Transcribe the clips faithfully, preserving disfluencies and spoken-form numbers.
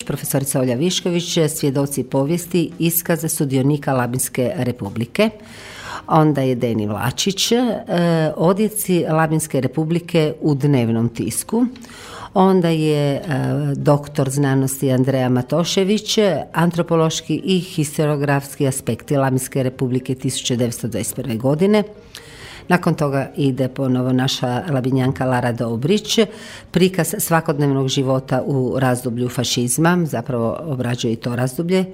profesorica Olja Višković, svjedoci povijesti, iskaze sudionika Labinske republike. Onda je Deni Vlačić, odjeci Labinske republike u dnevnom tisku. Onda je e, doktor znanosti Andreja Matošević, antropološki i historiografski aspekti Labinske republike tisuća devetsto dvadeset prve. godine. Nakon toga ide ponovo naša labinjanka Lara Dobrić, prikaz svakodnevnog života u razdoblju fašizma, zapravo obrađuje i to razdoblje.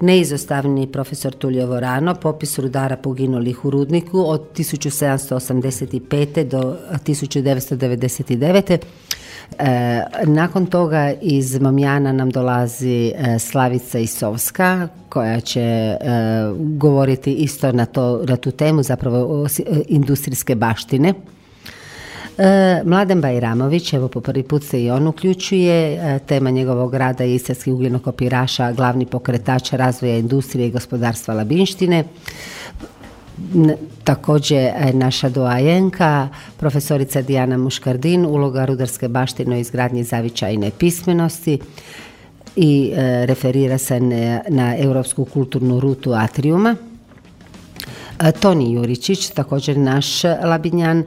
Neizostavni profesor Tulio Vorano, popis rudara poginulih u rudniku od tisuću sedamsto osamdeset pete. do tisuću devetsto devedeset devete. E, nakon toga iz Momjana nam dolazi e, Slavica Isovska, koja će e, govoriti isto na, to, na tu temu, zapravo o, industrijske baštine. E, Mladen Bajramović, evo po prvi put se i on uključuje, e, tema njegovog rada je istarski ugljenokopiraša, glavni pokretač razvoja industrije i gospodarstva Labinštine. Također naša doajenka, profesorica Dijana Muškardin, uloga rudarske baštine u izgradnji zavičajne pismenosti i e, referira se na, na europsku kulturnu rutu Atriuma. E, Toni Juričić, također naš Labinjan, e,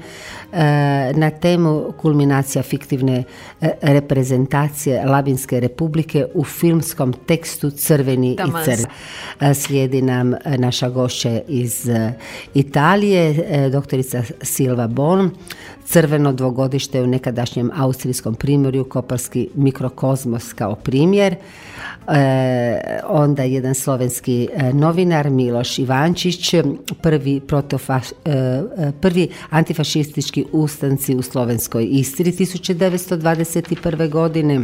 na temu kulminacija fiktivne e, reprezentacije Labinske republike u filmskom tekstu Crveni Tamaz. i crveni. E, slijedi nam naša gošća iz e, Italije, e, doktorica Silva Bon, crveno dvogodište u nekadašnjem austrijskom primorju, koparski mikrokozmos kao primjer. E, onda jedan slovenski e, novinar Miloš Ivančić, prvi, protofa, e, prvi antifašistički ustanci u slovenskoj Istri tisuća devetsto dvadeset prve. godine.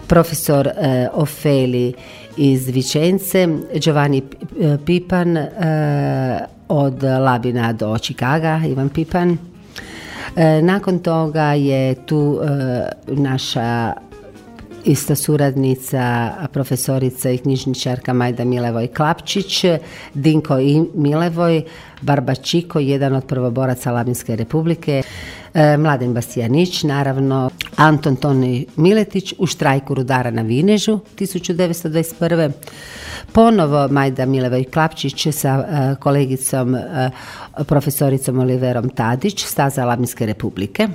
Profesor e, Ofeli iz Vičence, Giovanni Pipan, e, od Labina do Čikaga, Ivan Pipan. E, nakon toga je tu e, naša ista suradnica, profesorica i knjižničarka Majda Milevoj Klapčić, Dinko i Milevoj, Barbačiko, jedan od prvoboraca Labinske republike, e, Mladen Bastijanić, naravno, Anton Toni Miletić u štrajku rudara na Vinežu tisuća devetsto dvadeset prve. Ponovo Majda Milevoj Klapčić sa e, kolegicom e, profesoricom Oliverom Tadić, staza Labinske republike.